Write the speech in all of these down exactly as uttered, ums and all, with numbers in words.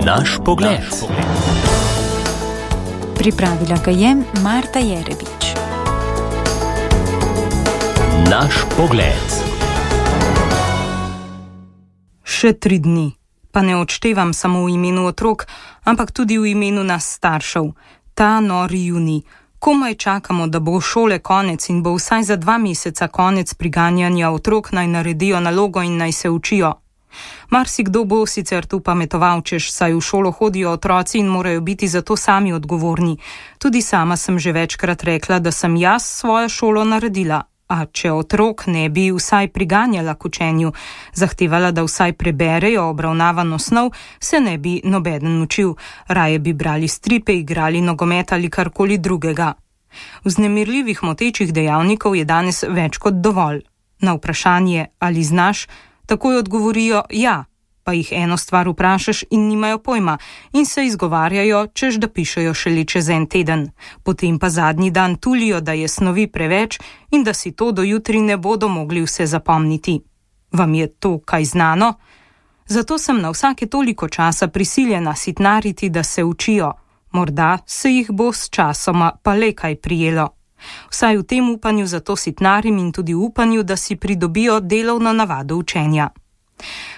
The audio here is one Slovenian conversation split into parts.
Naš pogled. Pripravila ga je Marta Jerebič. Naš pogled. Še tri dni, pa ne odštevam samo v imenu otrok, ampak tudi v imenu nas staršev. Ta nori junij. Komaj čakamo, da bo šole konec in bo vsaj za dva meseca konec priganjanja otrok, naj naredijo nalogo in naj se učijo. Marsikdo bo sicer tu pametoval, češ saj v šolo hodijo otroci in morajo biti za to sami odgovorni. Tudi sama sem že večkrat rekla, da sem jaz svojo šolo naredila, a če otrok ne bi vsaj priganjala k učenju, zahtevala, da vsaj preberejo obravnavano snov, se ne bi nobeden učil, raje bi brali stripe, igrali nogomet ali karkoli drugega. Vznemirljivih motečih dejavnikov je danes več kot dovolj. Na vprašanje, ali znaš, takoj odgovorijo ja, pa jih eno stvar vprašaš in nimajo pojma in se izgovarjajo, češ da pišejo šele čez en teden. Potem pa zadnji dan tulijo, da je snovi preveč in da si to do jutri ne bodo mogli vse zapomniti. Vam je to kaj znano? Zato sem na vsake toliko časa prisiljena sitnariti, da se učijo. Morda se jih bo s časoma pa le kaj prijelo. Vsaj v tem upanju zato sitnarim in tudi v upanju, da si pridobijo delovno navado učenja.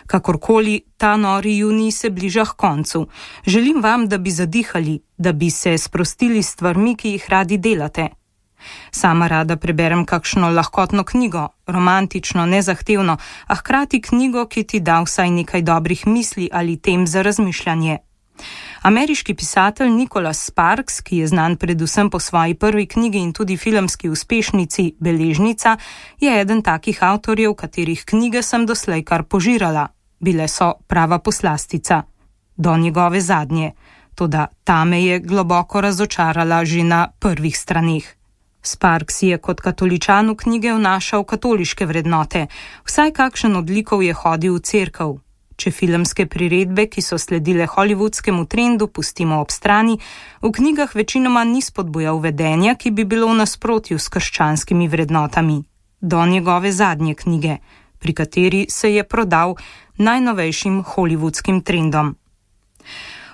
Kakorkoli, ta nori junij se bliža k koncu. Želim vam, da bi zadihali, da bi se sprostili s stvarmi, ki jih radi delate. Sama rada preberem kakšno lahkotno knjigo, romantično, nezahtevno, a hkrati knjigo, ki ti da vsaj nekaj dobrih misli ali tem za razmišljanje. Ameriški pisatelj Nicholas Sparks, ki je znan predvsem po svoji prvi knjigi in tudi filmski uspešnici Beležnica, je eden takih avtorjev, katerih knjige sem doslej kar požirala. Bile so prava poslastica. Do njegove zadnje. Toda ta me je globoko razočarala že na prvih straneh. Sparks je kot katoličan v knjige vnašal katoliške vrednote. Vsaj kakšen odlikov je hodil v cerkev. Če filmske priredbe, ki so sledile hollywoodskemu trendu, pustimo ob strani, v knjigah večinoma ni spodbujal vedenja, ki bi bilo v nasprotju s krščanskimi vrednotami. Do njegove zadnje knjige, pri kateri se je prodal najnovejšim hollywoodskim trendom.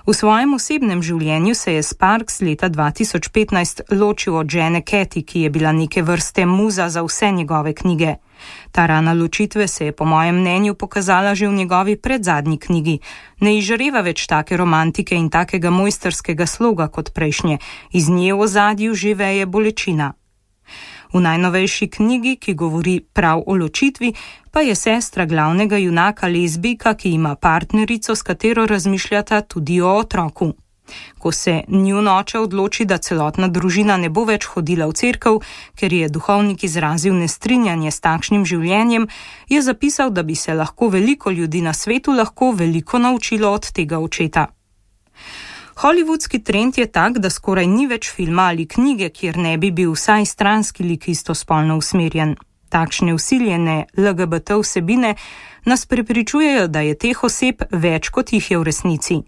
V svojem osebnem življenju se je Sparks leta dva tisoč petnajst ločil od žene Kathy, ki je bila neke vrste muza za vse njegove knjige. Ta rana ločitve se je po mojem mnenju pokazala že v njegovi predzadnji knjigi. Ne izžareva več take romantike in takega mojstrskega sloga kot prejšnje, iz nje v ozadju že veje bolečina. V najnovejši knjigi, ki govori prav o ločitvi, pa je sestra glavnega junaka lezbijka, ki ima partnerico, s katero razmišljata tudi o otroku. Ko se njun oče odloči, da celotna družina ne bo več hodila v cerkev, ker je duhovnik izrazil nestrinjanje s takšnim življenjem, je zapisal, da bi se lahko veliko ljudi na svetu lahko veliko naučilo od tega očeta. Hollywoodski trend je tak, da skoraj ni več filma ali knjige, kjer ne bi bil vsaj stranski lik istospolno usmerjen. Takšne vsiljene L G B T vsebine nas prepričujejo, da je teh oseb več, kot jih je v resnici.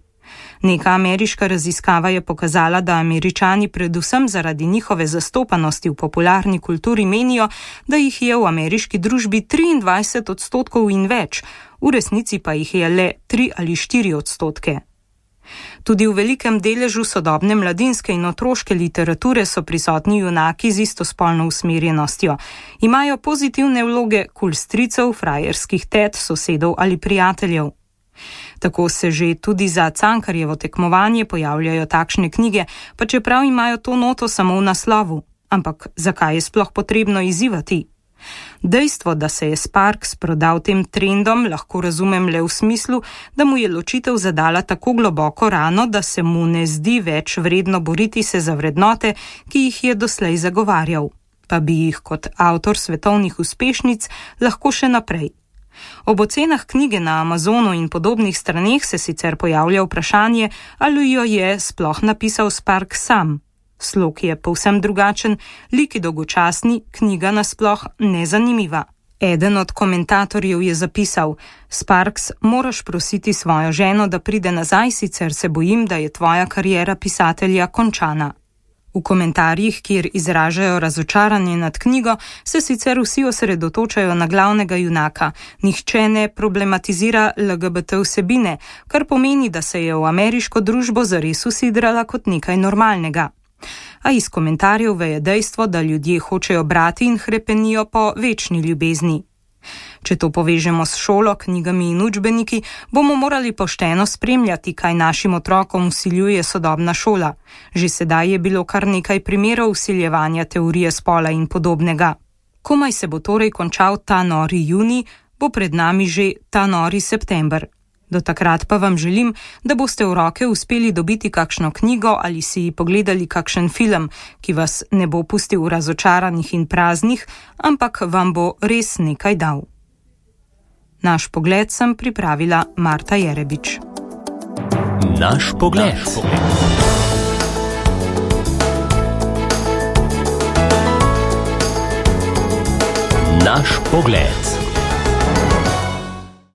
Neka ameriška raziskava je pokazala, da Američani predvsem zaradi njihove zastopanosti v popularni kulturi menijo, da jih je v ameriški družbi triindvajset odstotkov in več, v resnici pa jih je le tri ali štiri odstotke. Tudi v velikem deležu sodobne mladinske in otroške literature so prisotni junaki z istospolno usmerjenostjo. Imajo pozitivne vloge kul stricev, frajerskih tet, sosedov ali prijateljev. Tako se že tudi za Cankarjevo tekmovanje pojavljajo takšne knjige, pa čeprav imajo to noto samo v naslovu. Ampak zakaj je sploh potrebno izzivati? Dejstvo, da se je Sparks prodal tem trendom, lahko razumem le v smislu, da mu je ločitev zadala tako globoko rano, da se mu ne zdi več vredno boriti se za vrednote, ki jih je doslej zagovarjal, pa bi jih kot avtor svetovnih uspešnic lahko še naprej. Ob ocenah knjige na Amazonu in podobnih straneh se sicer pojavlja vprašanje, ali jo je sploh napisal Sparks sam. Slog je povsem drugačen, liki dolgočasni, knjiga nasploh nezanimiva. Eden od komentatorjev je zapisal: Sparks, moraš prositi svojo ženo, da pride nazaj, sicer se bojim, da je tvoja kariera pisatelja končana. V komentarjih, kjer izražajo razočaranje nad knjigo, se sicer vsi osredotočajo na glavnega junaka. Nihče ne problematizira L G B T vsebine, kar pomeni, da se je v ameriško družbo zares usidrala kot nekaj normalnega. A iz komentarjev veje dejstvo, da ljudje hočejo brati in hrepenijo po večni ljubezni. Če to povežemo s šolo, knjigami in učbeniki, bomo morali pošteno spremljati, kaj našim otrokom vsiljuje sodobna šola. Že sedaj je bilo kar nekaj primerov vsiljevanja teorije spola in podobnega. Komaj se bo torej končal ta nori junij, bo pred nami že ta nori september. Do takrat pa vam želim, da boste v roke uspeli dobiti kakšno knjigo ali si pogledali kakšen film, ki vas ne bo pustil razočaranih in praznih, ampak vam bo res nekaj dal. Naš pogled sem pripravila Marta Jerebič. Naš pogled. Naš pogled.